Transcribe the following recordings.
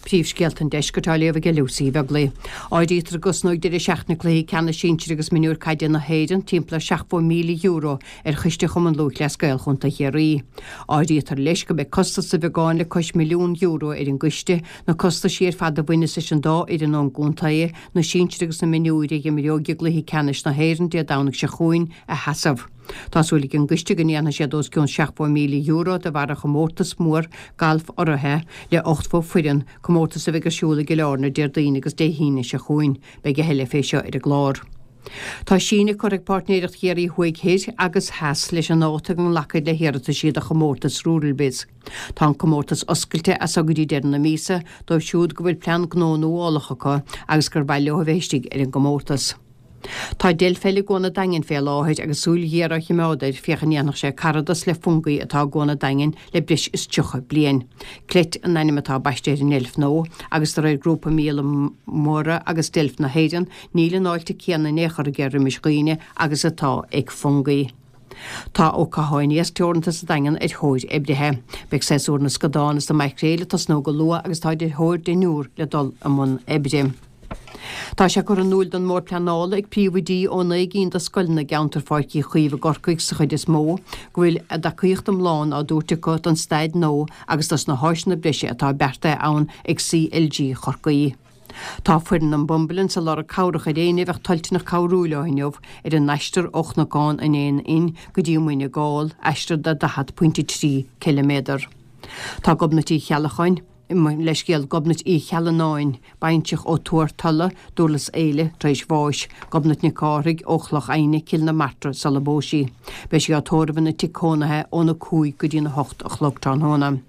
Príomhscéalta an Deiscirt á léamh aige Lucy Uí Bheaglaoi. Áirítear go gcosnóidh deireadh seachtaine cluichí ceannais sinsir agus mionúir caide na hÉireann timpeall ar €70,000 ar choiste Chumann Lúthchleas Gael Chontae Chiarraí. Áirítear leis go mbeidh costas de bheagán le cois €1,000,000 ar an gcoiste, na costaisí ar fad a bhaineas leis an dá fhoireann ón gcontae, na sinsir agus na mionúir a dh'imreoidh i gcluichí ceannais na hÉireann Dé Domhnaigh seo chugainn, a sheasamh. Tá súil ag an gcoiste go ndéanfaidh siad os cionn €70,000 de bharr an chomórtas mór gailf urraithe le 80 foireann, comórtas a bheidh ar siúl i gCill Airne Déardaoin agus Dé hAoine seo chugainn. Beidh a thuilleadh fé seo ar an gclár. Tá síneadh curtha ag Páirtnéireacht Chiarraí Thuaidh Thoir agus Theas leis an ndáta go nglacfaid le hiarrataisí do chomórtas Ruralbiz. Tá an comórtas oscailte as so go dtí deireadh na míosa dóibh siúd go bhfuil plean gnó nuálach acu agus gur mhaith leo a bheith istigh ar an gcomórtas. Tá deilf eile i gCuan an Daingin fé láthair agus súil ghéar á chimeád air féach an ndéanfadh sé caradas le Fungie atá i gCuan an Daingin le breis is 30 bliain. Clete an ainm atá baiste ar an ndeilf nua agus de réir Grúpa Míola Móra agus Deilf na hÉireann níl an fháilte céanna in aon chor aige roimis dhaoine agus atá ag Fungie. Tá Ó Catháin Iasc Teoranta sa Daingean ar thóir oibrithe. Beidh séasúr na scadán is na maicréil ag tosnú go luath agus táid ar thóir deichniúr le dul i mbun oibre. Tá sé curtha in iúil don mBord Pleanála ag príomhoidí ó 9 gcinn de scoileanna i gceantar Pháirc Uí Chaoimh i gCorcaigh sa chuid is mó, go bhfuil a dtacaíocht iomlán á dtabhairt acu don staid nua agus dos na háiseanna breise atá beartaithe ann ag CLG Chorcaí. Tá foireann an Bumbilens ag lorg cabhrach ar éinne a bheadh toilteanach cabhrú leo inniu ar a n-aistear ó Chnocán an Éin Fhinn go dtí Muine Gall, aistear de 40.3 ciliméadar. Tá Gobnait Uí Cheallacháin. Leithscéal, Gobnait Uí Cheallanáin, baintreach ó Tuar Tolla, Durlas Éile, tar éis bháis. Gobnait Nic Cárthaigh, ó Chloch Adhna, Cill na Martra, sula bpós sí. Beidh sí á tórramh ina tigh cónaithe óna 5 go dtí'n 8 a chlog tráthnóna.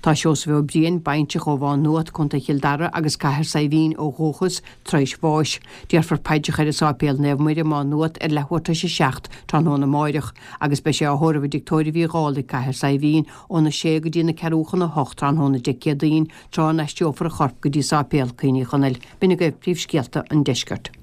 Tá Seosamh Ó Briain, baintreach ó Mhá Nuat, Co. Chill Dara agus Cathair Saidhbhín ó dhúchas, tar éis bháis. Déarfar paidreacha air i Sáipéal Naomh Muire, Má Nuat, ar leathuair tar éis a 7 tráthnóna amáireach agus beidh sé á thórramh i dTigh Tórraimh Uí Dhálaigh, Cathair Saidhbhín, óna sé go dtí na ceathrú chun a hocht tráthnóna Dé Céadaoin, tráth a n-aistreofar a chorp go dtí Sáipéal Cuimhní Chonaill. B'in agaibh príomhscéalta an deiscirt.